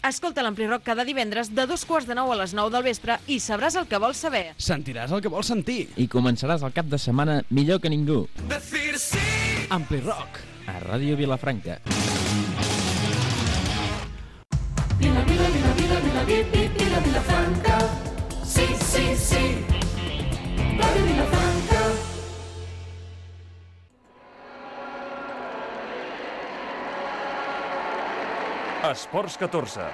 Escolta l'Amplirock cada divendres de 8:45 a les 9 del vespre i sabràs el que vols saber. Sentiràs el que vols sentir. I començaràs el cap de setmana millor que ningú. Amplirock. A Ràdio Vilafranca. Vilafranca. Sí, sí, sí. Ràdio Vilafranca. Esports 14.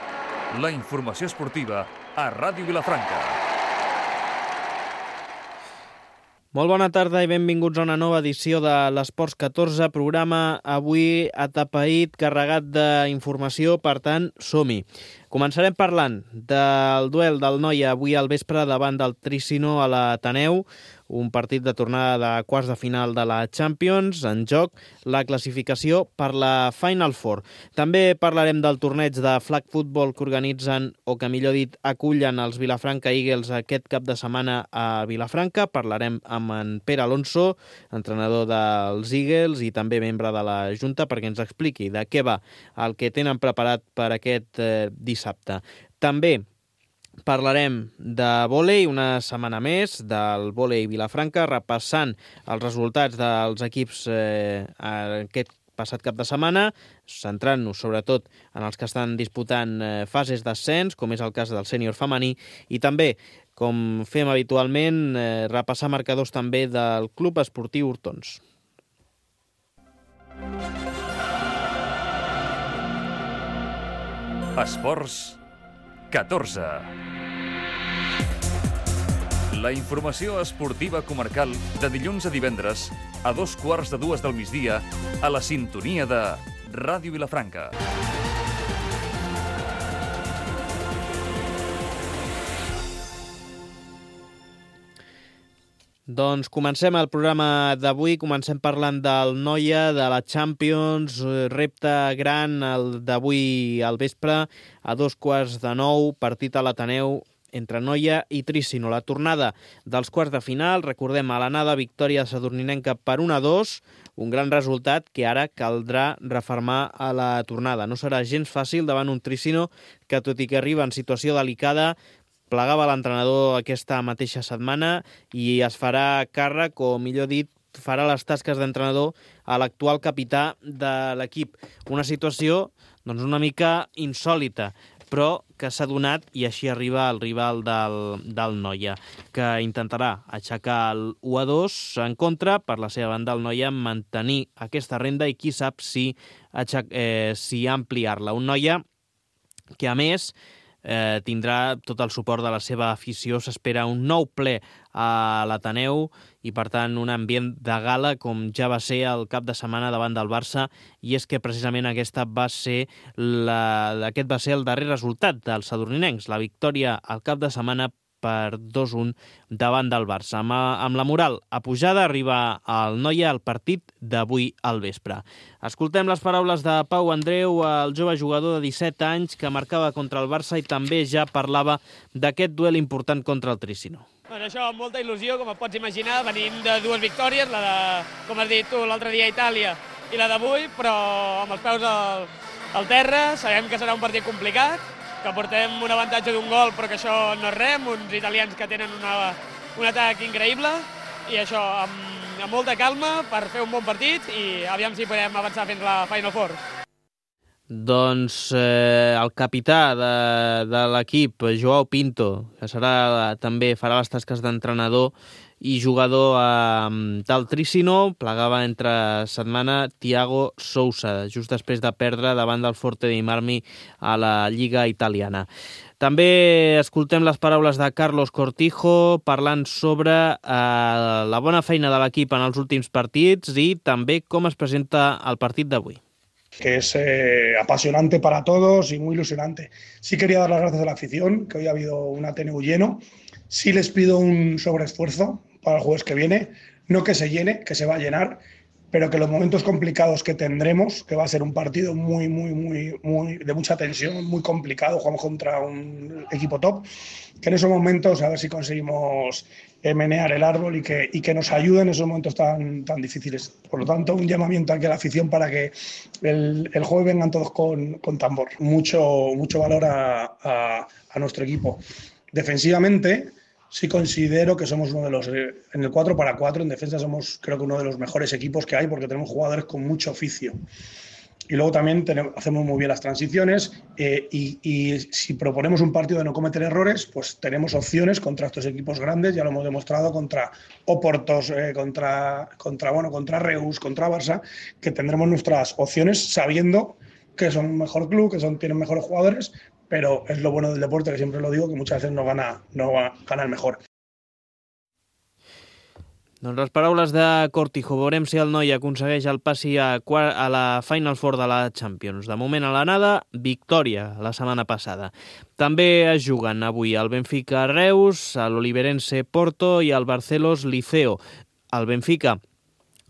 La informació esportiva a Ràdio Vilafranca. Molt bona tarda i benvinguts a una nova edició de l'Esports 14, programa avui atapeït, carregat d'informació, per tant, som-hi. Començarem parlant del duel del Noia avui al vespre davant del Trícino a l'Ateneu, un partit de tornada de quarts de final de la Champions, en joc la classificació per la Final Four. També parlarem del torneig de flag football que organitzen, o que millor dit, acullen els Vilafranca Eagles aquest cap de setmana a Vilafranca. Parlarem amb en Pere Alonso, entrenador dels Eagles i també membre de la Junta, perquè ens expliqui de què va el que tenen preparat per aquest dissabte. També parlarem de vòlei una setmana més, del vòlei Vilafranca, repassant els resultats dels equips aquest passat cap de setmana, centrant-nos sobretot en els que estan disputant fases d'ascens, com és el cas del sènior femení, i també, com fem habitualment, repassar marcadors també del Club Esportiu Hortons. Esports 14. La informació esportiva comarcal de dilluns a divendres a 2:15 del migdia a la sintonia de Ràdio Vilafranca. Doncs comencem el programa d'avui, comencem parlant del Noia, de la Champions, repte gran el d'avui al vespre, a 8:15, partit a l'Ateneu entre Noia i Trícino. La tornada dels quarts de final, recordem, a l'anada victòria sadurninenca per 1-2, un gran resultat que ara caldrà refermar a la tornada. No serà gens fàcil davant un Trícino que, tot i que arriba en situació delicada, plegava l'entrenador aquesta mateixa setmana i es farà càrrec, o millor dit, farà les tasques d'entrenador a l'actual capità de l'equip. Una situació doncs, una mica insòlita, però que s'ha donat, i així arriba el rival del Noia, que intentarà aixecar el 1-2 en contra. Per la seva banda, el Noia mantenir aquesta renda i qui sap si ampliar-la. Un Noia que, a més, tindrà tot el suport de la seva afició. S'espera un nou ple a l'Ateneu i, per tant, un ambient de gala com ja va ser el cap de setmana davant del Barça, i és que precisament aquest va ser el darrer resultat dels sadurninencs, la victòria al cap de setmana per 2-1 davant del Barça. Amb la moral apujada arriba el Noia al partit d'avui al vespre. Escoltem les paraules de Pau Andreu, el jove jugador de 17 anys que marcava contra el Barça i també ja parlava d'aquest duel important contra el Trícino. Bueno, això amb molta il·lusió, com et pots imaginar. Venim de dues victòries, la de, com has dit tu, l'altre dia a Itàlia i la d'avui, però amb els peus al terra. Sabem que serà un partit complicat, que portem un avantatge d'un gol, però que això no és res, uns italians que tenen un atac increïble, i això amb molta calma per fer un bon partit i aviam si podem avançar fins a la Final Four. Doncs el capità de l'equip, Joao Pinto, que farà les tasques d'entrenador i jugador del Trícino, plegava entre setmana Thiago Sousa, just després de perdre davant del Forte dei Marmi a la Lliga italiana. També escoltem les paraules de Carlos Cortijo parlant sobre la bona feina de l'equip en els últims partits i també com es presenta el partit d'avui. Que es apasionante para todos y muy ilusionante. Sí quería dar las gracias a la afición, que hoy ha habido un Ateneu lleno. Sí les pido un sobreesfuerzo para el jueves que viene, no que se llene, que se va a llenar, pero que los momentos complicados que tendremos, que va a ser un partido muy de mucha tensión, muy complicado, jugamos contra un equipo top, que en esos momentos a ver si conseguimos menear el árbol y que nos ayude en esos momentos tan difíciles. Por lo tanto, un llamamiento aquí a la afición para que el jueves vengan todos con tambor. Mucho valor a nuestro equipo. Defensivamente, sí considero que somos uno de los, en el 4x4, en defensa somos creo que uno de los mejores equipos que hay porque tenemos jugadores con mucho oficio. Y luego también hacemos muy bien las transiciones y si proponemos un partido de no cometer errores, pues tenemos opciones contra estos equipos grandes, ya lo hemos demostrado contra Oportos, contra Reus, contra Barça, que tendremos nuestras opciones sabiendo que son un mejor club, que tienen mejores jugadores, pero es lo bueno del deporte, que siempre lo digo, que muchas veces no gana el mejor. Doncs les paraules de Cortijo. Veurem si el noi aconsegueix el passi a la Final Four de la Champions. De moment a l'anada, victòria la setmana passada. També es juguen avui el Benfica Reus, l'Oliverense Porto i el Barcelos Liceo. El Benfica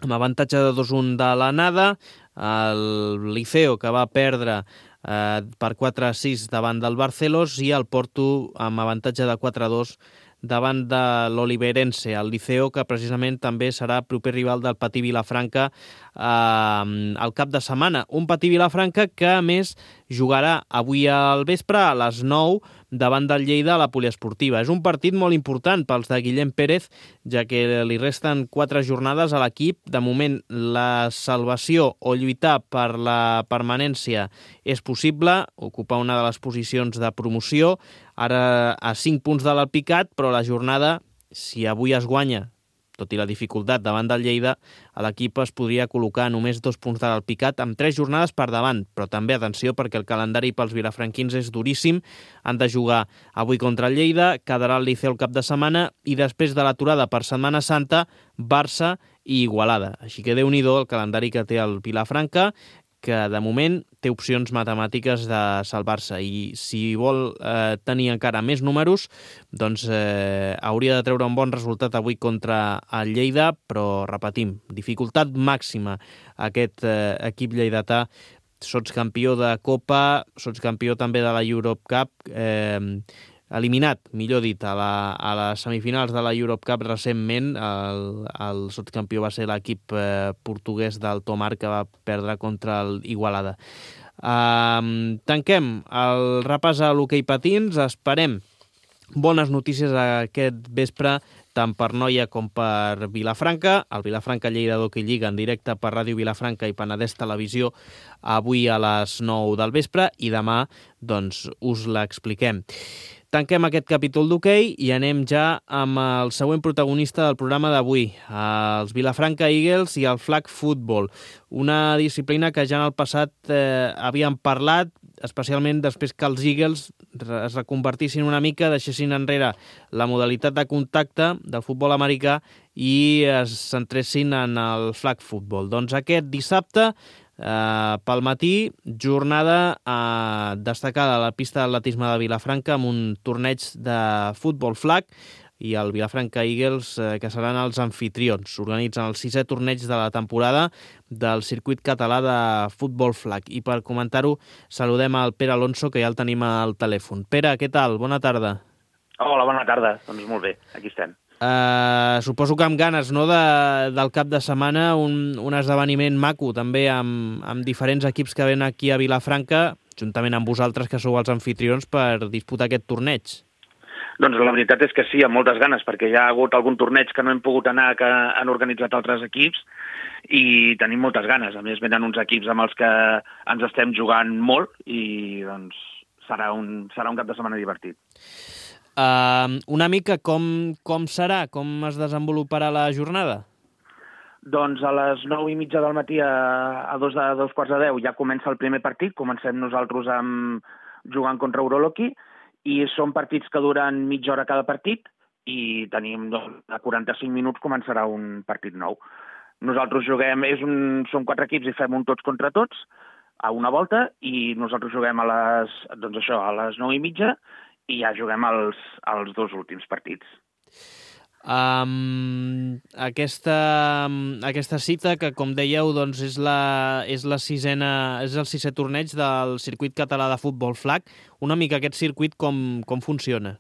amb avantatge de 2-1 de l'anada, el Liceo que va perdre per 4-6 davant del Barcelos i el Porto amb avantatge de 4-2 davant de l'Oliverense, el Liceo, que precisament també serà proper rival del Patí Vilafranca al cap de setmana. Un Patí Vilafranca que, a més, jugarà avui al vespre a les 9 davant del Lleida a la poliesportiva. És un partit molt important pels de Guillem Pérez, ja que li resten 4 jornades a l'equip. De moment, la salvació o lluitar per la permanència és possible, ocupar una de les posicions de promoció, ara a 5 punts de l'Alpicat, però la jornada, si avui es guanya, tot i la dificultat davant del Lleida, l'equip es podria col·locar només 2 punts de l'Alpicat amb 3 jornades per davant, però també atenció perquè el calendari pels vilafranquins és duríssim. Han de jugar avui contra el Lleida, quedarà el Liceu el cap de setmana i després de l'aturada per Setmana Santa, Barça i Igualada. Així que Déu-n'hi-do el calendari que té el Vilafranca, que de moment té opcions matemàtiques de salvar-se i si vol tenir encara més números, doncs hauria de treure un bon resultat avui contra el Lleida, però repetim, dificultat màxima aquest equip lleidatà, sotscampió de Copa, sotscampió també de la Europe Cup, eliminat, millor dit, a les semifinals de la Europe Cup recentment. El sotscampió va ser l'equip portuguès del Tomar, que va perdre contra l'Igualada. Tanquem el repàs a l'hoquei patins. Esperem bones notícies aquest vespre, tant per Noia com per Vilafranca. El Vilafranca Lleida d'Hockey Lliga en directe per Ràdio Vilafranca i Penedès Televisió avui a les 9 del vespre i demà doncs, us l'expliquem. Tanquem aquest capítol d'hoquei i anem ja amb el següent protagonista del programa d'avui, els Vilafranca Eagles i el flag football, una disciplina que ja en el passat havíem parlat, especialment després que els Eagles es reconvertissin una mica, deixessin enrere la modalitat de contacte del futbol americà i es centressin en el flag football. Doncs aquest dissabte, pel matí, jornada destacada a la pista d'atletisme de Vilafranca amb un torneig de futbol flag i el Vilafranca Eagles, que seran els anfitrions. S'organitzen el 6è torneig de la temporada del circuit català de futbol flag. I per comentar-ho, saludem al Pere Alonso, que ja el tenim al telèfon. Pere, què tal? Bona tarda. Hola, bona tarda. Doncs molt bé, aquí estem. Suposo que amb ganes, no, del cap de setmana, un esdeveniment maco, també amb diferents equips que venen aquí a Vilafranca, juntament amb vosaltres, que sou els anfitrions, per disputar aquest torneig. Doncs la veritat és que sí, amb moltes ganes, perquè hi ha hagut algun torneig que no hem pogut anar, que han organitzat altres equips, i tenim moltes ganes. A més, venen uns equips amb els que ens estem jugant molt, i doncs serà un cap de setmana divertit. Una mica com serà, com es desenvoluparà la jornada? Doncs a les 9:30 del matí a 2:45 ja comença el primer partit. Comencem nosaltres jugant contra Uroloki i són partits que duren mitja hora cada partit i tenim a 45 minuts començarà un partit nou. Nosaltres juguem, són 4 equips i fem un tots contra tots a una volta i nosaltres juguem a les 9:30 i ja juguem els 2 últims partits. Aquesta cita, que com dèieu doncs és el 6è torneig del circuit català de futbol flag, una mica aquest circuit com funciona?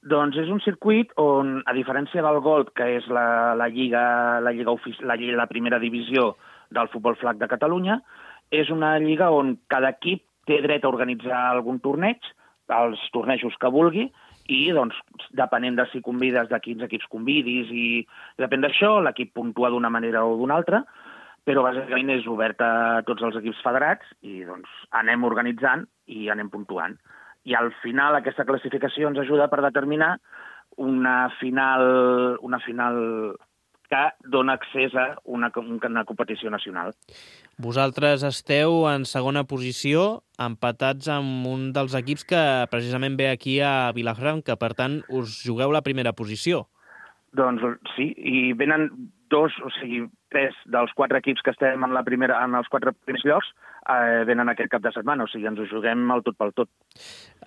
Doncs és un circuit on, a diferència del Gold, que és la primera divisió del futbol flag de Catalunya, és una lliga on cada equip té dret a organitzar algun torneig, els tornejos que vulgui, i, doncs, depenent de si convides, de quins equips convidis, i depèn d'això, l'equip puntua d'una manera o d'una altra, però bàsicament és obert a tots els equips federats i, doncs, anem organitzant i anem puntuant. I al final aquesta classificació ens ajuda per determinar una final que dona accés a una competició nacional. Vosaltres esteu en segona posició, empatats amb un dels equips que precisament ve aquí a Vilafranca. Per tant, us jugueu la primera posició. Doncs sí, i venen tres dels 4 equips que estem en els 4 primers llocs venen aquest cap de setmana, o sigui, ens ho juguem el tot pel tot.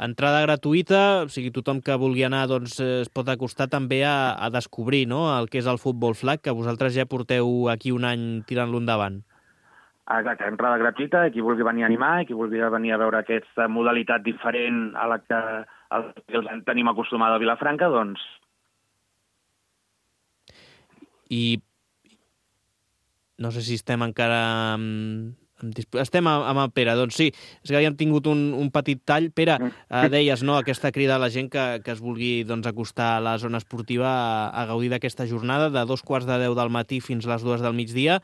Entrada gratuïta, o sigui, tothom que vulgui anar doncs, es pot acostar també a descobrir, no?, el que és el futbol flag, que vosaltres ja porteu aquí un any tirant-lo endavant. Exacte, entrada gratuïta, qui vulgui venir a animar, qui vulgui venir a veure aquesta modalitat diferent a la que els tenim acostumada a Vilafranca, doncs... I no sé si estem encara... Estem amb el Pere, doncs sí, és que havíem tingut un petit tall. Pere, deies, no?, aquesta crida a la gent que es vulgui doncs, acostar a la zona esportiva a gaudir d'aquesta jornada de 2:15 del matí fins les 2 del migdia.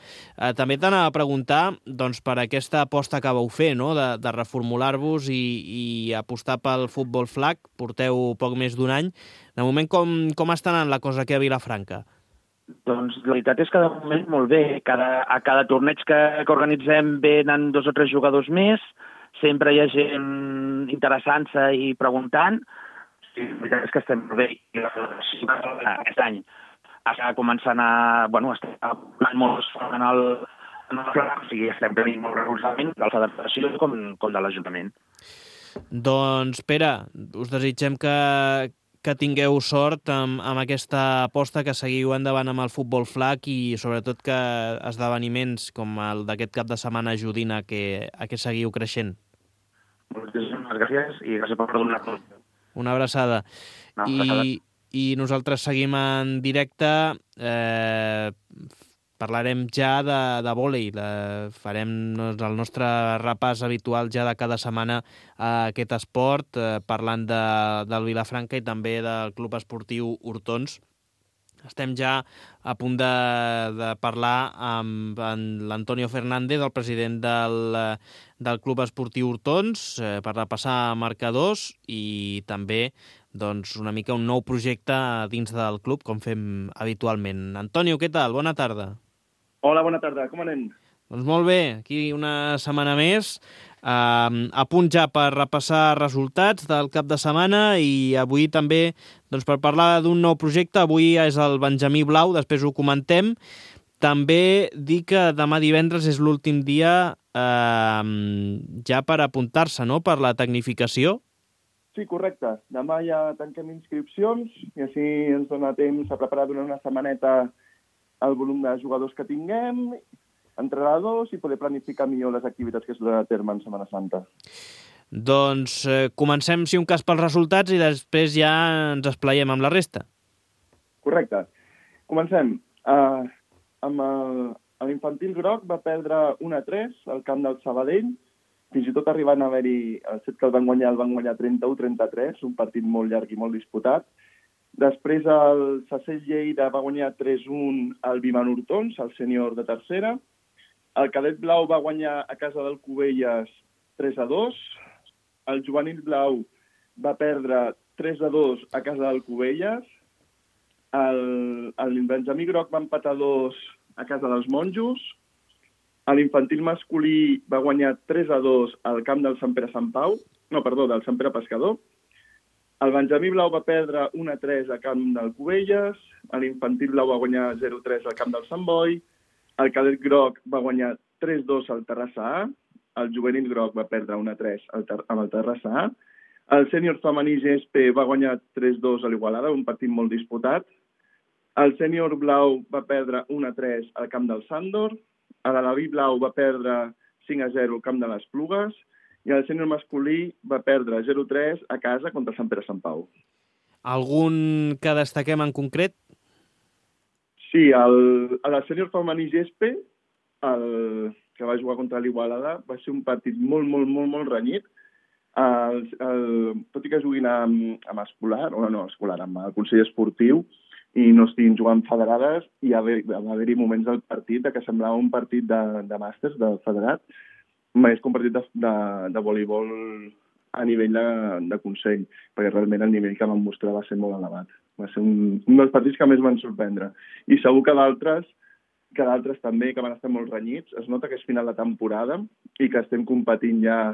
També t'anava a preguntar doncs, per aquesta aposta que vau fer, no?, de reformular-vos i apostar pel futbol flag. Porteu poc més d'un any. De moment, com està anant la cosa aquí a Vilafranca? Doncs la veritat és que de moment molt bé. A cada torneig que organitzem venen 2 o 3 jugadors més, sempre hi ha gent interessant-se i preguntant. Sí, la veritat és que estem molt bé. I la federació aquest any està començant a... està molt en el flag, o sigui, estem tenint molt recolzament de la federació com de l'Ajuntament. Doncs, Pere, us desitgem que tingueu sort amb aquesta aposta, que seguiu endavant amb el futbol flag i sobretot que esdeveniments com el d'aquest cap de setmana ajudin a que seguiu creixent. Moltíssimes gràcies i gràcies per donar-nos. Una abraçada. I nosaltres seguim en directe. Parlarem ja de vòlei. Farem el nostre repàs habitual ja de cada setmana a aquest esport, parlant del Vilafranca i també del Club Esportiu Hortons. Estem ja a punt de parlar amb l'Antonio Fernández, el president del Club Esportiu Hortons, per repassar marcadors i també doncs, una mica un nou projecte dins del club, com fem habitualment. Antonio, què tal? Bona tarda. Hola, bona tarda. Com anem? Doncs molt bé, aquí una setmana més, a punt ja per repassar resultats del cap de setmana i avui també doncs, per parlar d'un nou projecte. Avui és el Benjamí Blau, després ho comentem. També dir que demà divendres és l'últim dia ja per apuntar-se, no?, per la tecnificació. Sí, correcte. Demà ja tanquem inscripcions i així ens dona temps a preparar durant una setmaneta el volum de jugadors que tinguem, entrenadors i poder planificar millor les activitats que es duran a terme en Setmana Santa. Doncs comencem, si un cas, pels resultats i després ja ens esplaiem amb la resta. Correcte. Comencem. Amb l'infantil groc va perdre 1-3 al camp del Sabadell, fins i tot arribant a haver-hi el set que el van guanyar 31-33, un partit molt llarg i molt disputat. Després el Sacell Lleida va guanyar 3-1 al Viman Hortons, el sènior de tercera. El Cadet Blau va guanyar a casa del Cubelles 3-2. El Juvenil Blau va perdre 3-2 a casa del Cubelles. El Benjamí Groc va empatar 2 a casa dels Monjos. L'infantil masculí va guanyar 3-2 al camp del Sant Pere del Sant Pere Pescador. El Benjamí Blau va perdre 1-3 al camp del Cubelles, l'infantil blau va guanyar 0-3 al camp del Sant Boi, el Cadet Groc va guanyar 3-2 al Terrassa A, el Juvenil Groc va perdre 1-3 amb el Terrassa A, el sènior femení GSP va guanyar 3-2 a l'Igualada, un partit molt disputat, el sènior blau va perdre 1-3 al camp del Sàndor, l'Alaví Blau va perdre 5-0 al camp de les Plugues, i el sènior masculí va perdre 0-3 a casa contra Sant Pere Sant Pau. Algun que destaquem en concret? Sí, a la sènior femení Gespe, que va jugar contra l'Igualada, va ser un partit molt renyit. Tot i que juguin amb escolar, amb el Consell Esportiu, i no estiguin jugant federades, i va haver-hi moments del partit que semblava un partit de màsters, del federat, més que un partit de voleibol a nivell de Consell, perquè realment el nivell que van mostrar va ser molt elevat. Va ser un dels partits que més van sorprendre. I segur que d'altres també, que van estar molt renyits. Es nota que és final de temporada i que estem competint ja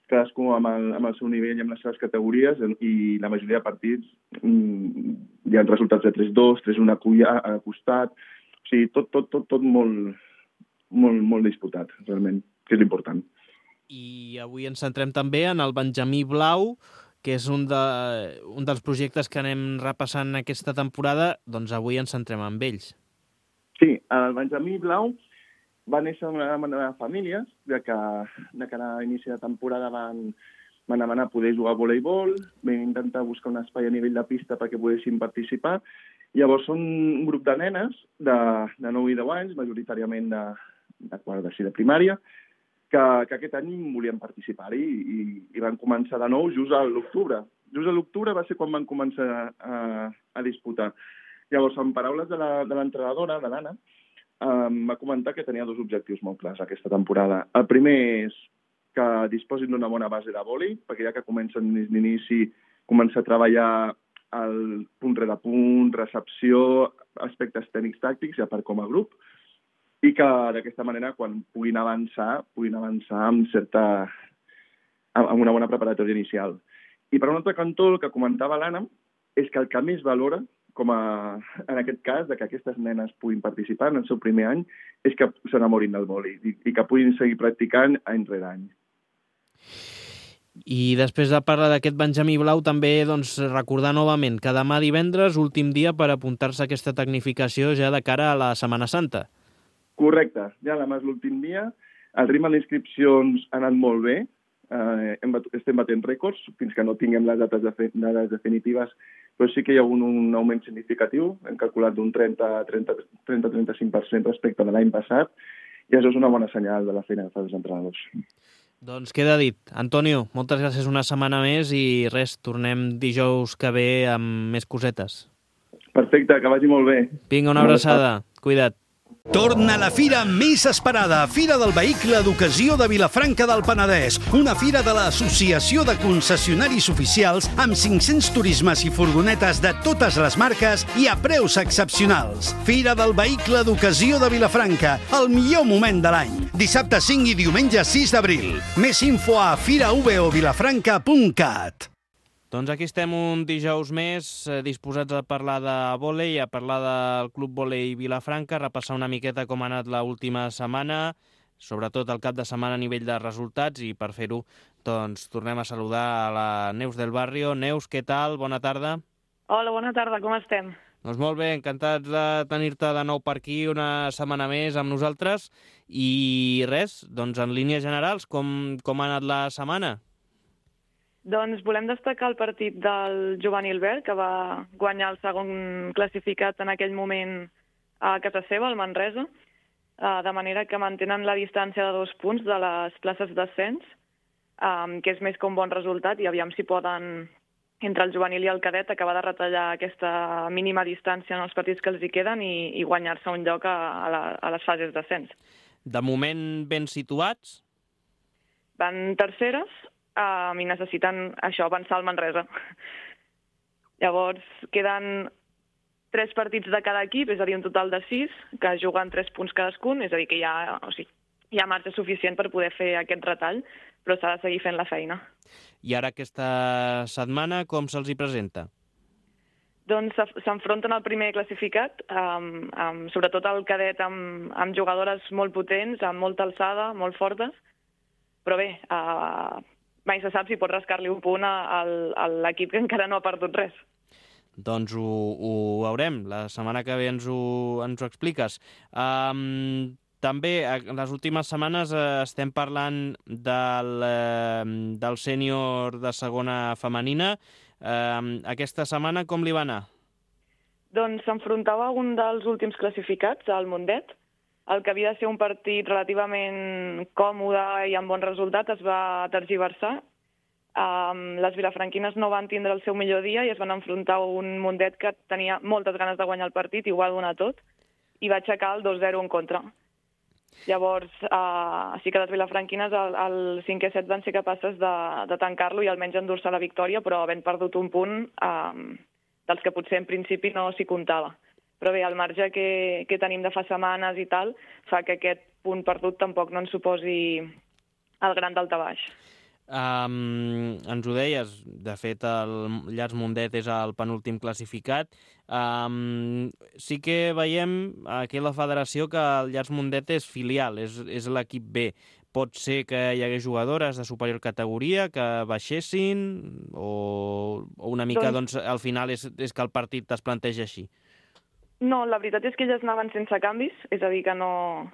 cadascú amb el seu nivell i amb les seves categories, i la majoria de partits hi ha resultats de 3-2, 3-1 a costat, o sigui, tot molt disputat, realment, que és l'important. I avui ens centrem també en el Benjamí Blau, que és un dels projectes que anem repassant aquesta temporada, doncs avui ens centrem en ells. Sí, el Benjamí Blau va néixer en una família de que a l'inici de temporada van demanar poder jugar a voleibol, vam intentar buscar un espai a nivell de pista perquè poguessin participar. Llavors són un grup de nenes de 9 i 10 anys, majoritàriament de quart de primària, que aquest any volien participar-hi i van començar de nou just a l'octubre. Just a l'octubre va ser quan van començar a disputar. Llavors, en paraules de l'entrenadora, de l'Anna, va comentar que tenia dos objectius molt clars aquesta temporada. El primer és que disposin d'una bona base de vòlei, perquè ja que comencen des d'inici, començar a treballar el punt rere punt, recepció, aspectes tècnics tàctics, ja per com a grup, i que d'aquesta manera, quan puguin avançar amb una bona preparatòria inicial. I per un altre cantó, el que comentava l'Anna, és que el que més valora, en aquest cas, que aquestes nenes puguin participar en el seu primer any, és que s'enamorin del vòlei i que puguin seguir practicant any rere any. I després de parlar d'aquest Benjamí Blau, també recordar novament que demà divendres, últim dia per apuntar-se a aquesta tecnificació ja de cara a la Setmana Santa. Correcte, ja demà és l'últim dia. El ritme d'inscripcions ha anat molt bé. Estem batent rècords fins que no tinguem les dates definitives, però sí que hi ha un augment significatiu. Hem calculat d'un 30-35% respecte de l'any passat, i això és una bona senyal de la feina que fan els entrenadors. Doncs queda dit. Antonio, moltes gràcies una setmana més i res, tornem dijous que ve amb més cosetes. Perfecte, que vagi molt bé. Vinga, una abraçada. Cuida't. Torna la fira més esperada, Fira del Vehicle d'Ocasió de Vilafranca del Penedès, una fira de l'Associació de Concessionaris Oficials amb 500 turismes i furgonetes de totes les marques i a preus excepcionals. Fira del Vehicle d'Ocasió de Vilafranca, el millor moment de l'any. Dissabte 5 i diumenge 6 d'abril. Més info a firaovilafranca.cat. Doncs aquí estem un dijous més, disposats a parlar de vòlei, a parlar del Club Vòlei Vilafranca, a repassar una miqueta com ha anat l'última setmana, sobretot el cap de setmana a nivell de resultats, i per fer-ho doncs tornem a saludar a la Neus del Barrio. Neus, què tal? Bona tarda. Hola, bona tarda, com estem? Doncs molt bé, encantats de tenir-te de nou per aquí una setmana més amb nosaltres. I res, doncs en línies generals, com ha anat la setmana? Doncs volem destacar el partit del Juvenil Verd, que va guanyar el segon classificat en aquell moment a casa seva, al Manresa, de manera que mantenen la distància de 2 punts de les places d'ascens, que és més que un bon resultat, i aviam si poden, entre el juvenil i el cadet, acabar de retallar aquesta mínima distància en els partits que els hi queden i guanyar-se un lloc a les fases d'ascens. De moment ben situats? Van terceres, i necessiten això, avançar al Manresa. Llavors, queden 3 partits de cada equip, és a dir, un total de 6, que juguen 3 punts cadascun, és a dir, que hi ha marge suficient per poder fer aquest retall, però s'ha de seguir fent la feina. I ara aquesta setmana com se'ls hi presenta? Doncs s'enfronten al primer classificat, sobretot el cadet amb jugadores molt potents, amb molta alçada, molt fortes, però bé, mai se sap si pot rascar-li un punt a l'equip que encara no ha perdut res. Doncs ho veurem. La setmana que ve ens ho expliques. També, en les últimes setmanes estem parlant del sènior de segona femenina. Aquesta setmana com li va anar? Doncs s'enfrontava a un dels últims classificats, al Mundet. El que havia de ser un partit relativament còmode i amb bon resultat es va tergiversar. Les vilafranquines no van tindre el seu millor dia i es van enfrontar a un Mundet que tenia moltes ganes de guanyar el partit i ho va donar tot, i va aixecar el 2-0 en contra. Llavors, sí que les vilafranquines al 5è set van ser capaces de tancar-lo i almenys endur-se la victòria, però havent perdut un punt dels que potser en principi no s'hi comptava. Però bé, el marge que tenim de fa setmanes i tal fa que aquest punt perdut tampoc no ens suposi el gran daltabaix. Ens ho deies, de fet el Llars Mundet és el penúltim classificat. Sí que veiem aquí a la federació que el Llars Mundet és filial, és l'equip B. Pot ser que hi hagués jugadores de superior categoria que baixessin o una mica doncs al final és que el partit es planteja així? No, la veritat és que elles anaven sense canvis, és a dir, que no...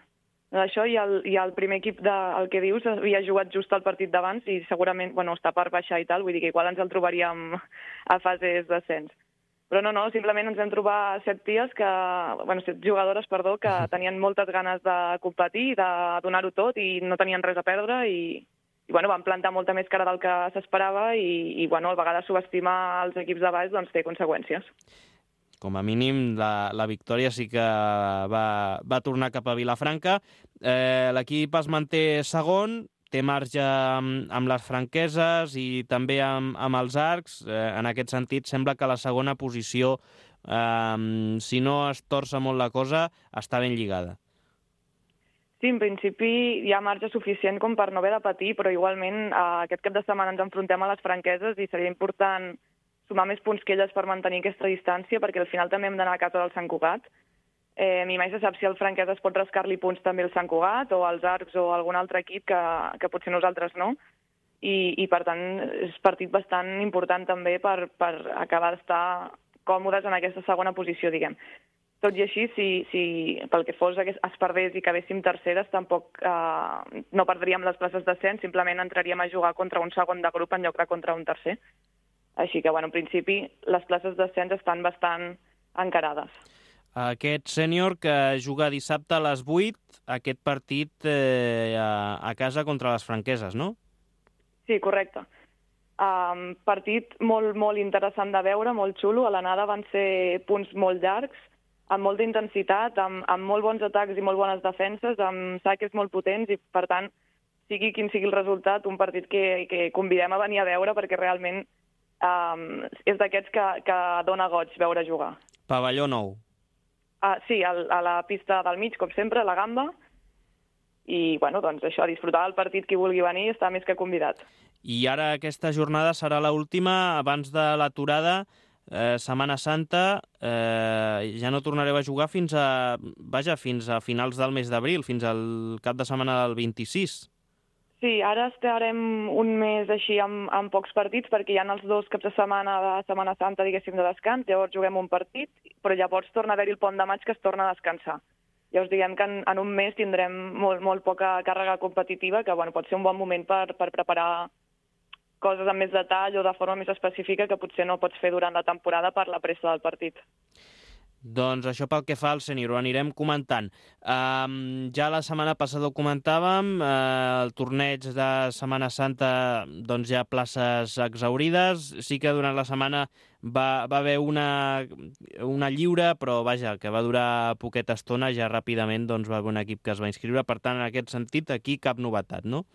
Això i el primer equip el que dius havia jugat just el partit d'abans i segurament, està per baixar i tal, vull dir que igual ens el trobaríem a fases d'ascens. Però no, simplement ens vam trobar 7 jugadores, que tenien moltes ganes de competir, de donar-ho tot i no tenien res a perdre i van plantar molta més cara del que s'esperava i a vegades subestimar els equips de baix té conseqüències. Com a mínim, la victòria sí que va tornar cap a Vilafranca. L'equip es manté segon, té marge amb les franqueses i també amb els arcs. En aquest sentit, sembla que la segona posició, si no es torça molt la cosa, està ben lligada. Sí, en principi hi ha marge suficient com per no haver de patir, però igualment aquest cap de setmana ens enfrontem a les franqueses i seria important sumar més punts que elles per mantenir aquesta distància, perquè al final també hem d'anar a casa del Sant Cugat. Ni mai se sap si el Franquesa es pot rascar-li punts també al Sant Cugat o als Arcs o algun altre equip que potser nosaltres no. I per tant, és partit bastant important també per acabar d'estar còmodes en aquesta segona posició, diguem. Tot i així, si pel que fos es perdés i quedéssim terceres, tampoc no perdríem les places d'ascens, simplement entraríem a jugar contra un segon de grup en lloc de contra un tercer. Així que, en principi, les places d'ascens estan bastant encarades. Aquest sènior que juga dissabte a les 8, aquest partit a casa contra les franqueses, no? Sí, correcte. Partit molt, molt interessant de veure, molt xulo. A l'anada van ser punts molt llargs, amb molta intensitat, amb molt bons atacs i molt bones defenses, amb saques molt potents i, per tant, sigui quin sigui el resultat, un partit que convidem a venir a veure perquè realment és d'aquests que dona goig veure jugar. Pavelló nou. Sí, a la pista del mig, com sempre, a la Gamba. I, doncs això, disfrutar del partit qui vulgui venir està més que convidat. I ara aquesta jornada serà l'última abans de l'aturada, Setmana Santa. Ja no tornareu a jugar fins a finals del mes d'abril, fins al cap de setmana del 26. Sí, ara estarem un mes així amb pocs partits perquè hi ha els 2 caps de setmana de Setmana Santa, diguéssim, de descans, llavors juguem un partit, però llavors torna a haver-hi el pont de maig que es torna a descansar. Llavors diguem que en un mes tindrem molt poca càrrega competitiva, que pot ser un bon moment per preparar coses amb més detall o de forma més específica que potser no pots fer durant la temporada per la pressa del partit. Doncs això pel que fa al sènior, ho anirem comentant. Ja la setmana passada ho comentàvem, el torneig de Setmana Santa doncs hi ha places exhaurides. Sí que durant la setmana va haver una lliure, però vaja, que va durar poqueta estona, ja ràpidament doncs, va haver un equip que es va inscriure. Per tant, en aquest sentit, aquí cap novetat, no?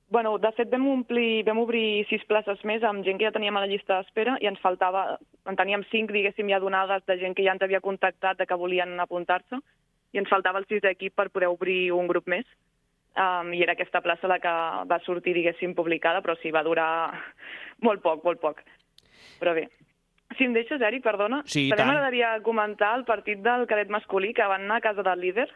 De fet, vam obrir 6 places més amb gent que ja teníem a la llista d'espera i en teníem 5, diguéssim, ja donades de gent que ja ens havia contactat de que volien apuntar-se i ens faltava el 6è equip per poder obrir un grup més. I era aquesta plaça la que va sortir, diguéssim, publicada, però sí, va durar molt poc. Però bé, si em deixes, Eric, perdona, sí, també m'agradaria comentar el partit del cadet masculí que van anar a casa del líder.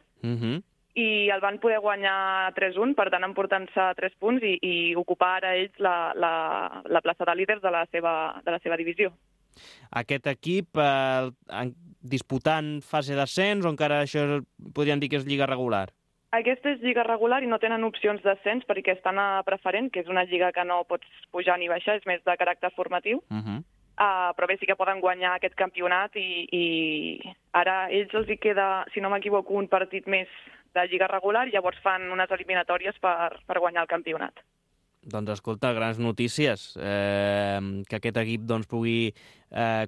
I el van poder guanyar 3-1, per tant emportant-se 3 punts i ocupar ara ells la plaça de líders de la seva divisió. Aquest equip disputant fase d'ascens o encara això podríem dir que és lliga regular? Aquesta és lliga regular i no tenen opcions d'ascens perquè estan a preferent, que és una lliga que no pots pujar ni baixar, és més de caràcter formatiu. però bé, sí que poden guanyar aquest campionat i ara a ells els hi queda, si no m'equivoco, un partit més de lliga regular i llavors fan unes eliminatòries per guanyar el campionat. Doncs escolta, grans notícies, que aquest equip doncs, pugui,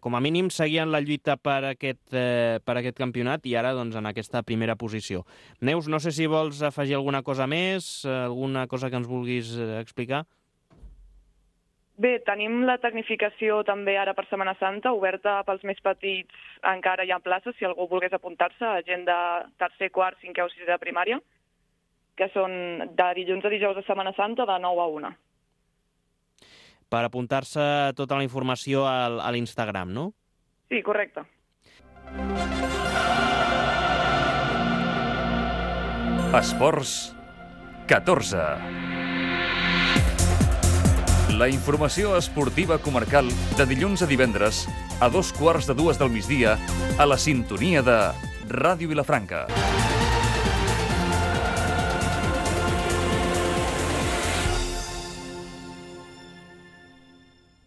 com a mínim, seguir en la lluita per aquest campionat i ara doncs, en aquesta primera posició. Neus, no sé si vols afegir alguna cosa més, alguna cosa que ens vulguis explicar? Bé, tenim la tecnificació també ara per Setmana Santa, oberta pels més petits, encara hi ha places, si algú volgués apuntar-se, gent de tercer, quart, cinquè o sisè de primària, que són de dilluns a dijous de Setmana Santa de 9 a 1. Per apuntar-se tota la informació a l'Instagram, no? Sí, correcte. Esports 14. La informació esportiva comarcal de dilluns a divendres a 2:15 del migdia a la sintonia de Ràdio Vilafranca.